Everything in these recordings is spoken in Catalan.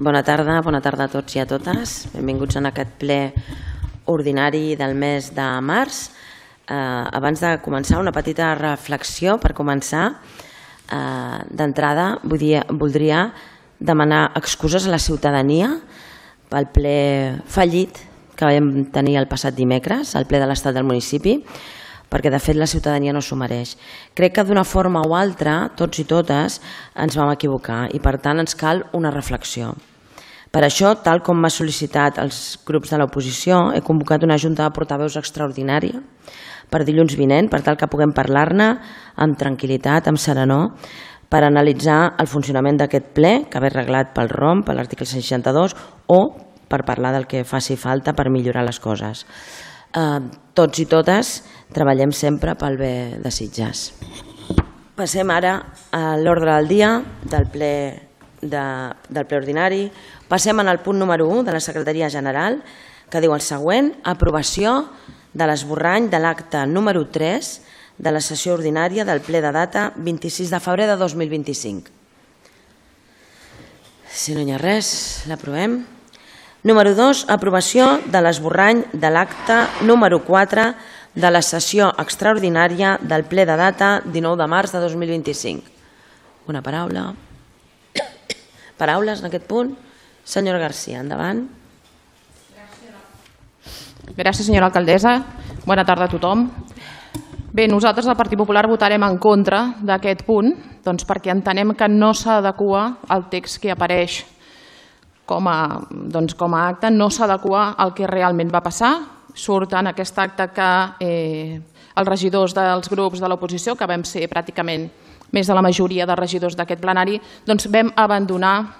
Bona tarda a tots i a totes. Benvinguts en aquest ple ordinari del mes de març. Abans de començar, una petita reflexió per començar. D'entrada, voldria demanar excuses a la ciutadania pel ple fallit que vam tenir el passat dimecres, el ple de l'estat del municipi, perquè de fet la ciutadania no s'ho mereix. Crec que d'una forma o altra, tots i totes, ens vam equivocar i per tant ens cal una reflexió. Per això, tal com m'ha sol·licitat els grups de l'oposició, he convocat una junta de portaveus extraordinària per dilluns vinent, per tal que puguem parlar-ne amb tranquil·litat, amb serenor, per analitzar el funcionament d'aquest ple, que ve reglat pel ROM, per l'article 62, o per parlar del que faci falta per millorar les coses. Tots i totes treballem sempre pel bé de Sitges. Passem ara a l'ordre del dia del ple ordinari. Passem al punt número 1 de la Secretaria General, que diu el següent: aprovació de l'esborrany de l'acte número 3 de la sessió ordinària del ple de data 26 de febrer de 2025. Si no hi ha res, l'aprovem. Número 2, aprovació de l'esborrany de l'acte número 4 de la sessió extraordinària del ple de data 19 de març de 2025. Una paraula. Paraules en aquest punt? Senyora Garcia, endavant. Gràcies, senyora alcaldessa. Bona tarda a tothom. Bé, nosaltres al Partit Popular votarem en contra d'aquest punt perquè entenem que no s'adequa al text que apareix com a acte, no s'adequa al que realment va passar. Surt en aquest acte que els regidors dels grups de l'oposició, que vam ser pràcticament més de la majoria de regidors d'aquest plenari, vam abandonar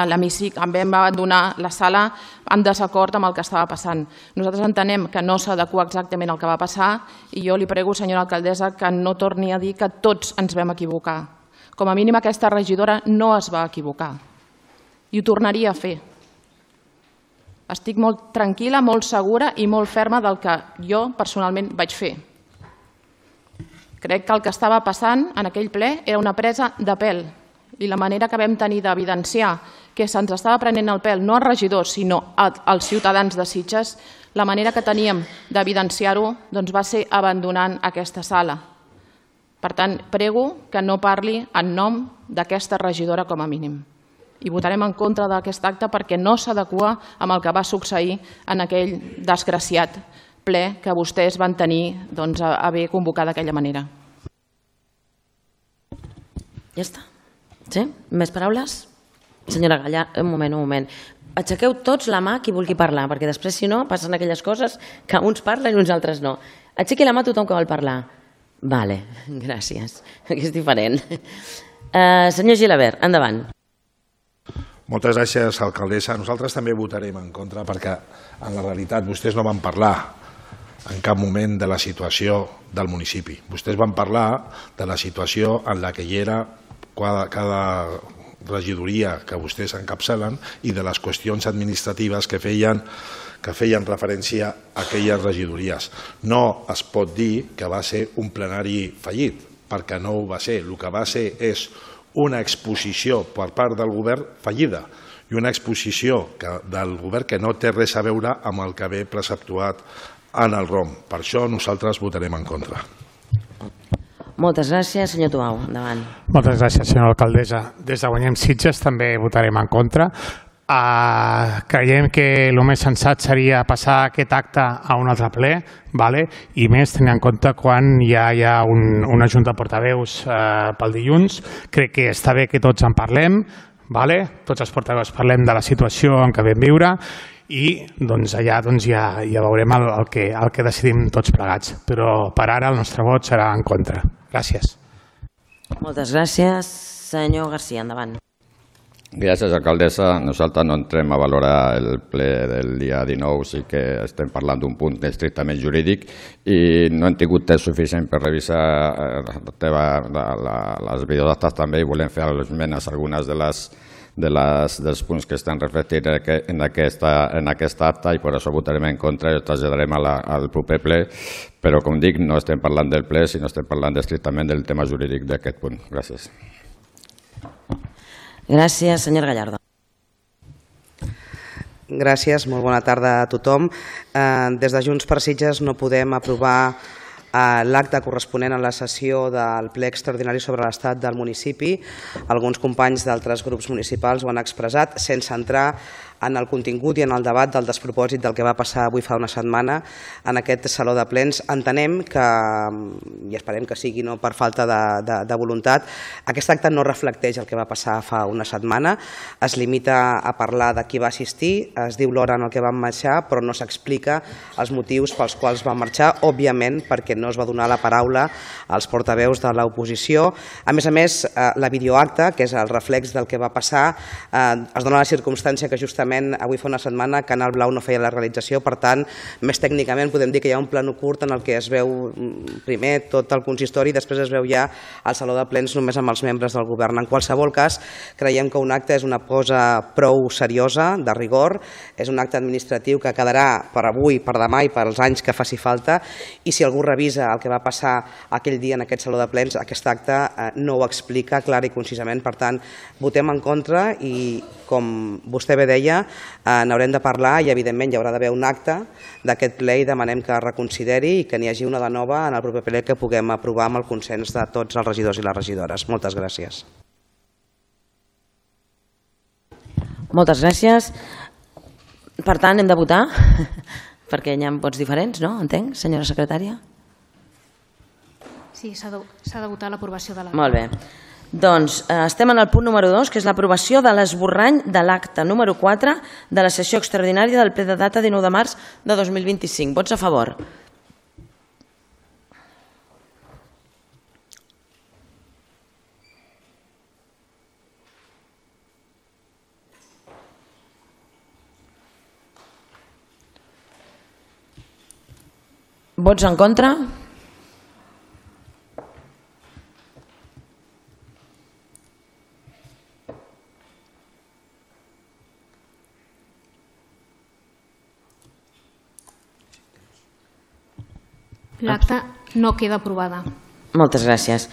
l'hemicicle, vam abandonar la sala en desacord amb el que estava passant. Nosaltres entenem que no s'adequa exactament al que va passar i jo li prego, senyora alcaldessa, que no torni a dir que tots ens vam equivocar. Com a mínim aquesta regidora no es va equivocar i ho tornaria a fer. Estic molt tranquil·la, molt segura i molt ferma del que jo personalment vaig fer. Crec que el que estava passant en aquell ple era una presa de pèl i la manera que vam tenir d'evidenciar que se'ns estava prenent el pèl no als regidors sinó als ciutadans de Sitges, la manera que teníem d'evidenciar-ho va ser abandonant aquesta sala. Per tant, prego que no parli en nom d'aquesta regidora com a mínim. I votarem en contra d'aquest acte perquè no s'adequa amb el que va succeir en aquell desgraciat ple que vostès van tenir a bé convocar d'aquella manera. Ja està. Sí? Més paraules? Senyora Gallardo, un moment. Aixequeu tots la mà qui vulgui parlar, perquè després, si no, passen aquelles coses que uns parlen i uns altres no. Aixequi la mà tothom que vol parlar. Vale, gràcies. Aquí és diferent. Senyor Gilabert, endavant. Moltes gràcies, alcaldessa. Nosaltres també votarem en contra perquè, en la realitat, vostès no van parlar en cap moment de la situació del municipi. Vostès van parlar de la situació en la que hi era cada regidoria que vostès encapçalen i de les qüestions administratives que feien referència a aquelles regidories. No es pot dir que va ser un plenari fallit, perquè no ho va ser. El que va ser és una exposició per part del govern fallida i una exposició del govern que no té res a veure amb el que ve preceptuat en el ROM. Per això nosaltres votarem en contra. Moltes gràcies. Senyor Tuau, endavant. Moltes gràcies, senyora alcaldessa. Des de Guanyem Sitges també votarem en contra. Creiem que el més sensat seria passar aquest acte a un altre ple, i més tenint en compte quan ja hi ha una junta de portaveus pel dilluns. Crec que està bé que tots en parlem, tots els portaveus parlem de la situació en què vam viure i allà ja veurem el que decidim tots plegats. Però per ara el nostre vot serà en contra. Gràcies. Moltes gràcies. Senyor Garcia, endavant. Gràcies, alcaldessa. Nosaltres no entrem a valorar el ple del dia 19, sí que estem parlant d'un punt estrictament jurídic i no hem tingut temps suficient per revisar les videoactes també i volem fer esmenes a algunes dels punts que estan reflectits en aquest acte i per això votarem en contra i ho traslladarem al proper ple, però com dic, no estem parlant del ple, sinó estem parlant estrictament del tema jurídic d'aquest punt. Gràcies. Gràcies, senyor Gallardo. Gràcies, molt bona tarda a tothom. Des de Junts per Sitges no podem aprovar l'acte corresponent a la sessió del ple extraordinari sobre l'estat del municipi. Alguns companys d'altres grups municipals ho han expressat sense entrar en el contingut i en el debat del despropòsit del que va passar avui fa una setmana en aquest saló de plens. Entenem que, i esperem que sigui no per falta de voluntat, aquest acte no reflecteix el que va passar fa una setmana, es limita a parlar de qui va assistir, es diu l'hora en què van marxar, però no s'explica els motius pels quals van marxar, òbviament perquè no es va donar la paraula als portaveus de l'oposició. A més, la videoacta, que és el reflex del que va passar, es dona la circumstància que justament avui fa una setmana Canal Blau no feia la realització, per tant, més tècnicament podem dir que hi ha un plano curt en el que es veu primer tot el consistori i després es veu ja al saló de plens només amb els membres del govern. En qualsevol cas, creiem que un acte és una cosa prou seriosa, de rigor, és un acte administratiu que quedarà per avui, per demà i per als anys que faci falta, i si algú revisa el que va passar aquell dia en aquest saló de plens, aquest acte no ho explica clar i concisament. Per tant, votem en contra i, com vostè bé deia, n'haurem de parlar i evidentment hi haurà d'haver un acte d'aquest ple i demanem que es reconsideri i que n'hi hagi una de nova en el proper ple que puguem aprovar amb el consens de tots els regidors i les regidores. Moltes gràcies. Moltes gràcies. Per tant, hem de votar, perquè hi ha vots diferents, no? Entenc, senyora secretària? Sí, s'ha de votar l'aprovació de l'acte. Molt bé. Doncs estem en el punt número 2, que és l'aprovació de l'esborrany de l'acte número 4 de la sessió extraordinària del ple de data 19 de març de 2025. Vots a favor? Vots en contra? L'acta no queda aprovada. Moltes gràcies.